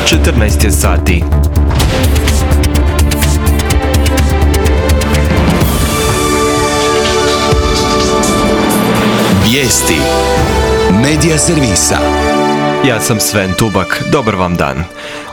14 je sati. Vijesti Medija servisa. Ja sam Sven Tubak, dobar vam dan.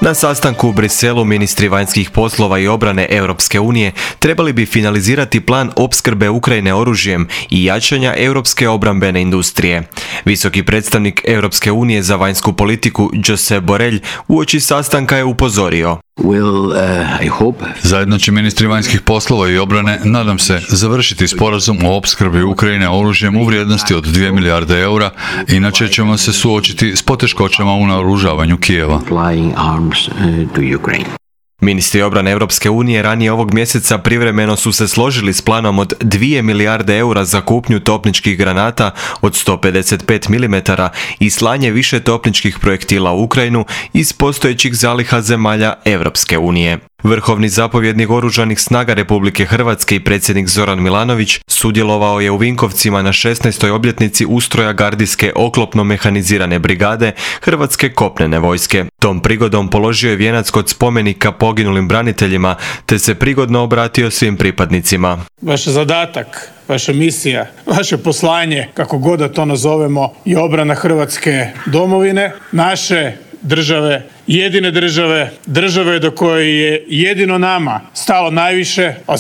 Na sastanku u Briselu ministri vanjskih poslova i obrane Europske unije trebali bi finalizirati plan opskrbe Ukrajine oružjem i jačanja europske obrambene industrije. Visoki predstavnik Europske unije za vanjsku politiku Josep Borrell uoči sastanka je upozorio. Zajedno će ministri vanjskih poslova i obrane, nadam se, završiti sporazum o opskrbi Ukrajine oružjem u vrijednosti od 2 milijarde eura, inače ćemo se suočiti s poteškoćama u naoružavanju Kijeva. Ministri obrane Europske unije ranije ovog mjeseca privremeno su se složili s planom od 2 milijarde eura za kupnju topničkih granata od 155 mm i slanje više topničkih projektila u Ukrajinu iz postojećih zaliha zemalja Europske unije. Vrhovni zapovjednik Oružanih snaga Republike Hrvatske i predsjednik Zoran Milanović sudjelovao je u Vinkovcima na 16. obljetnici ustroja gardijske oklopno-mehanizirane brigade Hrvatske kopnene vojske. Tom prigodom položio je vijenac kod spomenika poginulim braniteljima te se prigodno obratio svim pripadnicima. Vaš zadatak, vaša misija, vaše poslanje, kako god da to nazovemo, je obrana Hrvatske domovine, naše države, jedine države do koje je jedino nama stalo najviše, a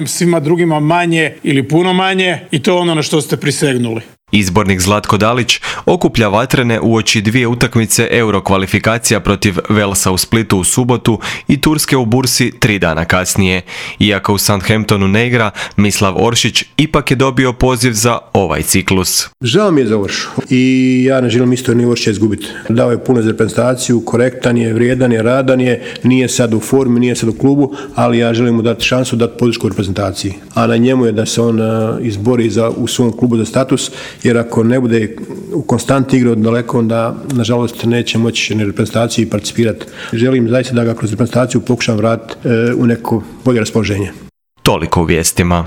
svima drugima manje ili puno manje, i to je ono na što ste prisegnuli. Izbornik Zlatko Dalić okuplja vatrene uoči 2 utakmice Euro kvalifikacija protiv Walesa u Splitu u subotu i Turske u Bursi 3 dana kasnije. Iako u Southamptonu ne igra, Mislav Oršić ipak je dobio poziv za ovaj ciklus. Žao mi je za Oršu i ja ne želim isto ni Oršića izgubiti. Dao je puno za reprezentaciju, korektan je, vrijedan je, radan je, nije sad u formi, nije sad u klubu, ali ja želim mu dati šansu, dati podršku reprezentaciji. A na njemu je da se on izbori u svom klubu za status, jer ako ne bude u konstantni igri od daleko, onda nažalost neće moći ni reprezentaciji participirati. Želim zaista da ga kroz reprezentaciju pokušam vratiti u neko bolje raspoloženje. Toliko u vijestima.